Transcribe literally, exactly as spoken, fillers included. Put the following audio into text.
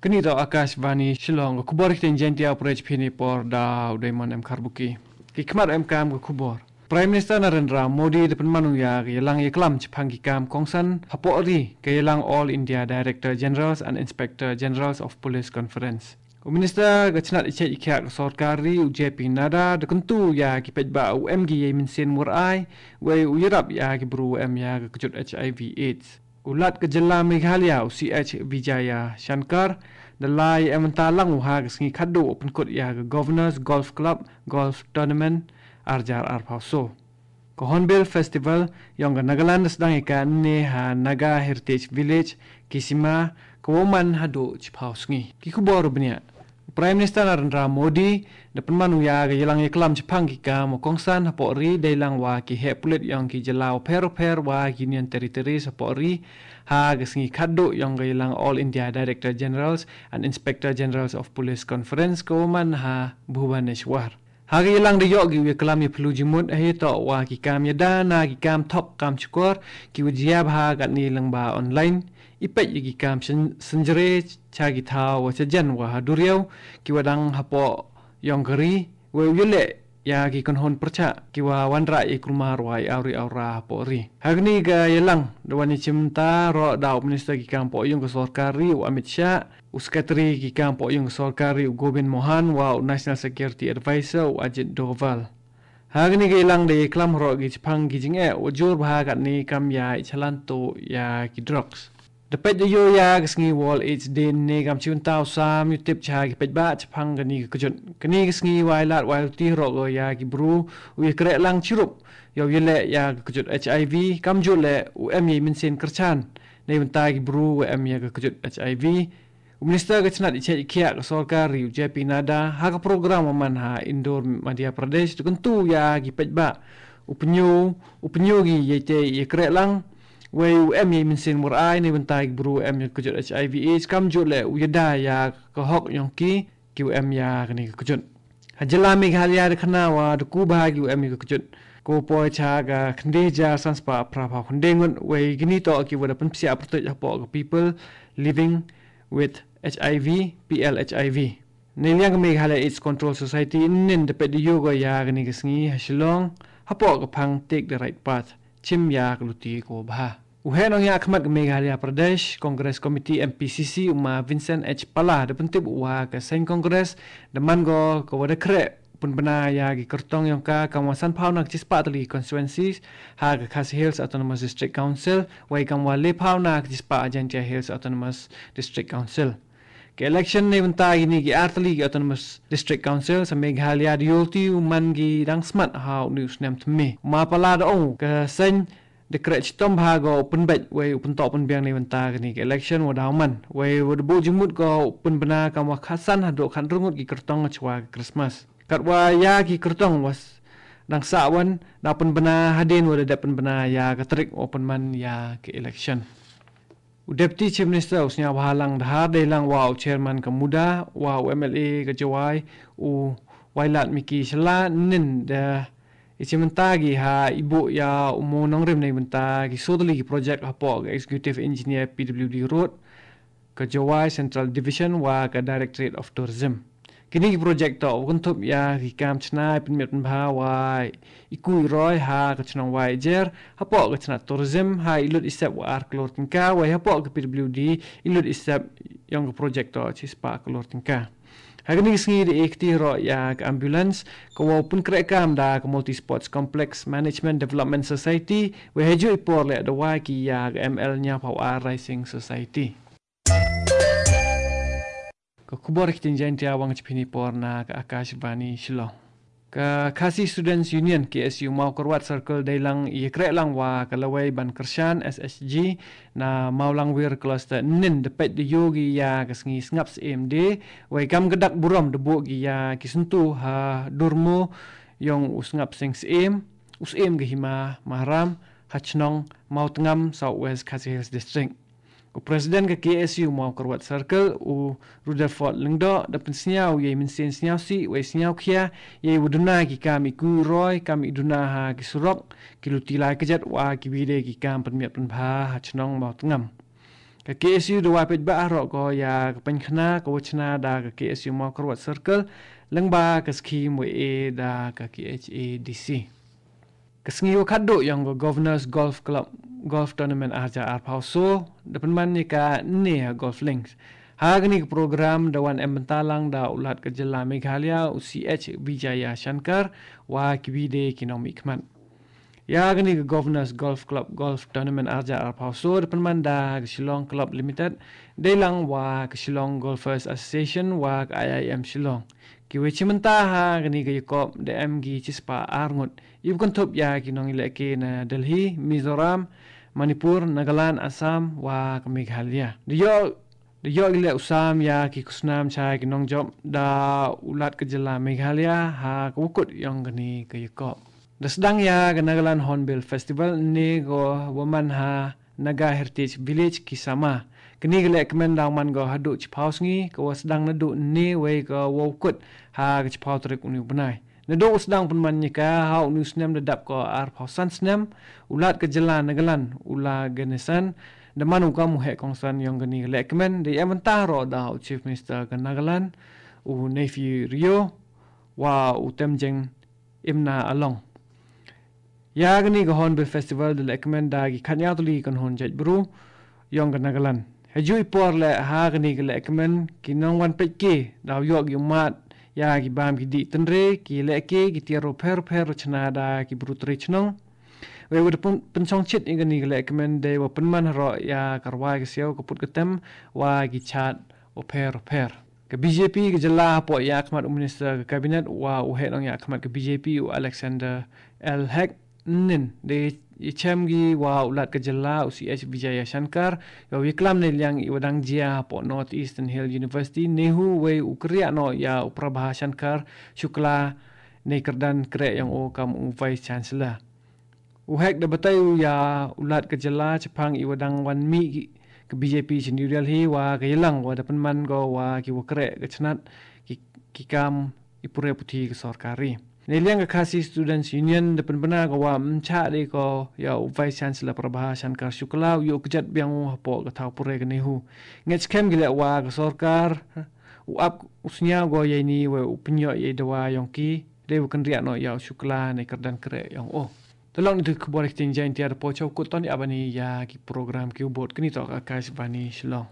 Kani da Akashvani Shillong, ka khubor ktien Jaiñtia u pyrshah phi ha kane ka por da u Daimon M Kharbuki. Ki khmat em kam ka khubor. Prime Minister Narendra Modi da pynman u ïa ka ïalang ïaklam shaphang ki kam kongsan hapoh ri, ka ïalang All India Director Generals and Inspector Generals of Police Conference. U Minister ka chnat ïaid ïakhiah ka sorkar ri u J P Nadda da kyntu ïa ki paidbah u em ki ïa mynsiem murai, wei u ïarap ïa ki bru u em ïa ka kjut H I V AIDS. U Lat ka jylla Meghalaya u C H Vijayashankar da la ïa em bynta lang u ha ka sngi khatduh u pynkut ïa ka Governor's Golf Club Golf Tournament ar hajar arphew saw. Ka Hornbill Festival ïong ka Nagaland da sdang ïa kane ha Naga Heritage Village, Kisima, ka wa man haduh chiphew sngi. Ki khubor u bniah. Prime Minister Narendra Modi da pynman u ïa ka ïalang ïaklam shaphang ki kam kongsan hapoh ri dei lang wa ki heh pulit ïong ki jylla u pher u pher wa ki Union Territories hapoh ri ha ka sngi khatduh ïong ka ïalang All India Director Generals and Inspector Generals of Police Conference ka wa man ha Bhubaneswar. Ha ka ïalang da ïoh ki u ïaklam ïaphylliew jingmut ha ïatoh wa ki kam ïada na ki kam thok kam shukor ki wa jia bha ha kane lyngba online. I peit ïa ki kam syn-, synjre sha ki thaw wa shajan wa ha duriaw ki wa dang hapoh ïong ka ri, wei u ïaleh ïa ki kynhun pyrshah ki wa wanrah ïa kulmar wa ïa awri awra hapoh ri. Ha kane ka ïalang da wan ïa shim bynta ruh da u Minister ki kam poh ïong ka sorkar ri u Amit Shah, u Secretary ki kam poh ïong ka sorkar ri u Govind Mohan wa u National Security Advisor u Ajit Doval. Ha kane ka ïalang da ïaklam ruh ki shaphang ki jingeh wa jur bha ha kane kam ïa i chalan tuh ïa ki drugs. Da peit da ïoh ïa ka sngi World AIDS Day ne kam shu bynta u sam ïatip sha ki paidbah shaphang kane ka kjut. Kane ka sngi wa ai lad wa ai luti ruh ko ïa ki bru u ïakreh lang shirup ïa u ïaleh ïa ka kjut H I V, kamjooh leh u em ïa i mynsiem kyrchan na bynta ki bru u em ïa ka kjut H I V. U Minister ka chnat ïaid ïakhiah ka sorkar ri u J P Nadda ha ka program wa man ha Indore, Madhya Pradesh da kyntu ïa ki paidbah u pyni, u pyni ki ïa te ïakreh lang, wei u em ïa i mynsiem murai na bynta ki bru u em ïa ka kjut H I V AIDS, kamjooh leh u ïada ïa ka hok ïong ki ki u em ïa kane ka kjut. Ha jylla Meghalaya da khana wa da ku bha ki u em ïa ka kjut. Ko poi sha ka khyndai hajar san spah phra phew khyndai ngut, wei kine toh ki wa da pynpsiah pyrtuid hapoh ka People Living with H I V, P L H I V. Na liang ka Meghalaya AIDS Control Society, ynnin da peit da ïoh ko ïa kane ka sngi ha Shillong hapoh ka phang Take the Right Path, shim ïa ka luti ko bha. U heh nongïakhmat ka Meghalaya Pradesh Congress Committee, M P C C, u ma Vincent H Pala da pyntip u wa ka seng Congress da man ko ka wa da khreh pynbna ïa ki kyrtong ïong ka kam wa san phew na ka shispah tylli ki constituencies ha ka Khasi Hills Autonomous District Council, wei kam wa le phew na ka shispah ha Jaintia Hills Autonomous District Council. Ka election na bynta kine ki ar tylli ki Autonomous District Council sha Meghalaya da ïoh luti u man ki dang smat ha une u snem thymmai. U ma Pala da ong ka seng da khreh chitom bha ko u pynbeit wei u pyntoh pynbiang na bynta kane ka election wa daw man. Wei wa da buh jingmut ko u pynbna kam wa khatsan haduh khathynriew ngut ki kyrtong shuwa ka Christmas. Katwa ïa ki kyrtong wa dang sah wan da pynbna hadien wa da dep pynbna ïa ka tarik wa pynman ïa ka election. U Deputy Chief Minister u Sniawbhalang Dhar dei lang wa u Chairman ka MUDA, wa u M L A ka Jowai, u Wailadmiki Shylla, ynnin da i shim bynta ki ha i buh ïa u mawnongrim na bynta ki sawtylli ki project hapoh ka Executive Engineer P W D Road, ka Jowai Central Division wa ka Directorate of Tourism. Kine ki project toh wa kynthup ïa ki kam shna, pynmiat pynbha wa i kui roi ha ka shnong Wahiajer, hapoh ka shnat tourism ha i lut i sep wa ar klur tyngka, wei hapoh ka P W D i lut i sep ïong ka project toh shispah klur tyngka. Ha kane ka sngi da i kti ruh ïa ka ambulance ka wa u pynkhreh kam da ka Multi Sports Complex Management Development Society, wei ha juh i por leh da wai ki ïa ka M L hynñiewphew ar Rising Society. Ka khubor ktien Jaiñtia wang chipini por na ka Akashvani Shillong. Ka Khasi Students Union, K S U, Mawkyrwat Circle dei lang ïa khreh lang wa ka lawei ban kyrshan, S H G, na Mawlangwir Cluster, ynnin da peit da ïoh ki ïa ka sngi sngap syiem de, wei kam ka dak burom da buh ki ïa ki syntu ha dur mo ïong u sngap sing syiem, u syiem ka hima Mahram, ha shnong Mawtngam, South West Khasi Hills District. U President ka K S U Mawkyrwat Circle, u Rutherford Lyngdoh, da pynsngew ïa i mynsiem sngewsih, wei sngewkhia, ïa i wa duna ki kam i kuh roi, kam i duna ha ki surok, ki luti lai kjat wa ki bide ki kam pynmiat pynbha ha chnong Mawtngam. Ka K S U da wa peit ba arok ko ïa ka pynkhana ka wa chna da ka K S U Mawkyrwat Circle, lengba ka skhim wa e da ka K H A D C. Ka sngi wa khatduh yong ka Governors Golf Club Golf Tournament arja arphaw so, da pynman ïa ka ne ha Golf Links. Ha kani ka program da wan em bynta lang da u Lat ka jylla Meghalaya, u C H Vijaya Shankar, wa ki bide ki nongmihkhmat. Ïa kani ka Governors Golf Club Golf Tournament arja arphaw so, da pynman da ka Shillong Club Limited, dei lang wa ka Shillong Golfers Association, wa ka I I M Shillong. Ki wei chi mynta ha kani ka ïakop da em ki chi spah ar ngut. Ïa u kynthup ïa ki nongïalehke na Delhi, Mizoram, Manipur, Nagaland, Assam, wa ka Meghalaya. Da ïoh, da ïoh i leh u sam ïa ki khusnam cha ki nongjop da u Lat ka jylla Meghalaya ha ka wa kut yong kani ka ïakop. Da sdang ïa ka Nagaland Hornbill Festival ne ko wa man ha Naga Heritage Village Kisama. Kani ka lehkmen da man ko haduh chiphaw sngi, ka wa sdang naduh ne wei ka wa u kut ha ka chiphaw tarik uni u bnai. Naduh u sdang pynman ïa ka ha uni u snem da dap ko arphaw san snem, u Lat ka jylla Nagaland, u La Ganesan, da man u kam u heh kongsan yong kani ka lehkmen, da ïa mynta ro da u Chief Minister ka Nagaland, u Neiphiu Rio, wa u Temjeng Imna Along. Ïa kani ka Hornbill Festival da lehkmen da ki khatnyaw tylli ki kynhun jaitbru yong ka Nagaland. Hajuh i por leh ha kani ka lehkmen ki nongwan peit ki da u ïoh ki ummat ïa ki bam ki dih tynrai, ki lehke, ki tiar u pher u pher u chna da ki bru trai chnong. Wei wa da pyn-, pynchong chit ïa kani ka lehkmen dei wa pynman haroh ïa ka rwai ka siaw ka put ka tem wa ki chat u pher u pher. Ka B J P ka jylla hapoh ïa khmat u minister ka cabinet wa u heh nongïakhmat ka B J P u Alexander L Hek nin da ïa chem ki wa u Lat ka jylla u C H Vijaya Shankar, ïa u ïa klam ne liang i wa dang jia hapoh North Eastern Hill University, NEHU, wei u kyrïah noh ïa u Prabha Shankar Shukla ne kyrdan kreh yong u kam u Vice Chancellor. U Hek da batai u ïa u Lat ka jylla chaphang i wa dang wan mih ki, ka B J P cha New Delhi wa ka ïalang wa da pynman ko wa ki wa kreh ka chnat ki, ki kam i pure puthi ka sorkari. Ne liang ka Khasi Students Union da pynbna ko wa mcha de ko ïa u Vice Chancellor Prabha Shankar Shukla u ïoh kjat biang u hapoh ka thaw pure ka NEHU. Ngeit skhem ki leh wa ka sorkar u ap u sñiaw ko ïa ini wei u pynïoh ïa i dawa yong ki, dei u kynriah noh ïa u Shukla ne kyrdan kreh yong u. Te long ni tu khubor ktien Jaintia da poi chau kut ton ïa bani ïa ki program ki u bot kani to ka Akashvani Shillong.